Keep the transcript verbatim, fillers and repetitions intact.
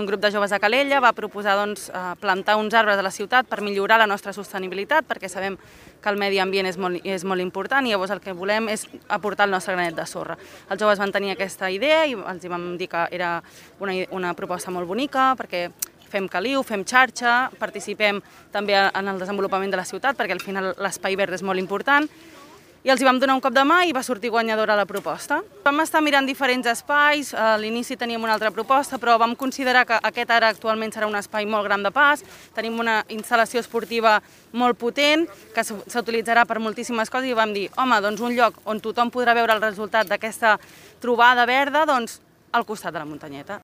un grup de joves de Calella va proposar doncs, plantar uns arbres a la ciutat per millorar la nostra sostenibilitat, perquè sabem que el medi ambient és molt, és molt important i llavors el que volem és aportar el nostre granet de sorra. Els joves van tenir aquesta idea i els vam dir que era una, una proposta molt bonica perquè fem caliu, fem xarxa, participem també en el desenvolupament de la ciutat perquè al final l'espai verd és molt important. I els hi vam donar un cop de mà i va sortir guanyadora la proposta. Vam estar mirant diferents espais, a l'inici teníem una altra proposta, però vam considerar que aquest ara actualment serà un espai molt gran de pas, tenim una instal·lació esportiva molt potent, que s'utilitzarà per moltíssimes coses i vam dir, home, doncs un lloc on tothom podrà veure el resultat d'aquesta trobada verda, doncs al costat de la muntanyeta.